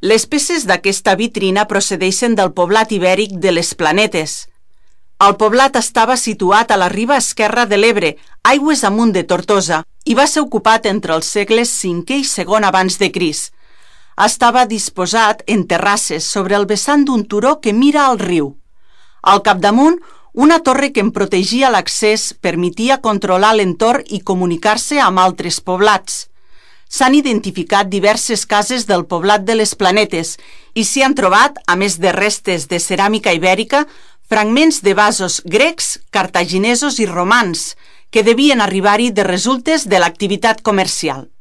Les peces d'aquesta vitrina procedeixen del poblat ibèric de les Planetes. El poblat estava situat a la riba esquerra de l'Ebre, aigües amunt de Tortosa, i va ser ocupat entre els segles V i II abans de Crist. Estava disposat en terrasses sobre el vessant d'un turó que mira al riu. Al capdamunt, una torre que en protegia l'accés permetia controlar l'entorn i comunicar-se amb altres poblats. S'han identificat diverses cases del poblat de les Planetes i s'hi han trobat, a més de restes de ceràmica ibèrica, fragments de vasos grecs, cartaginesos i romans, que devien arribar-hi de resultes de l'activitat comercial.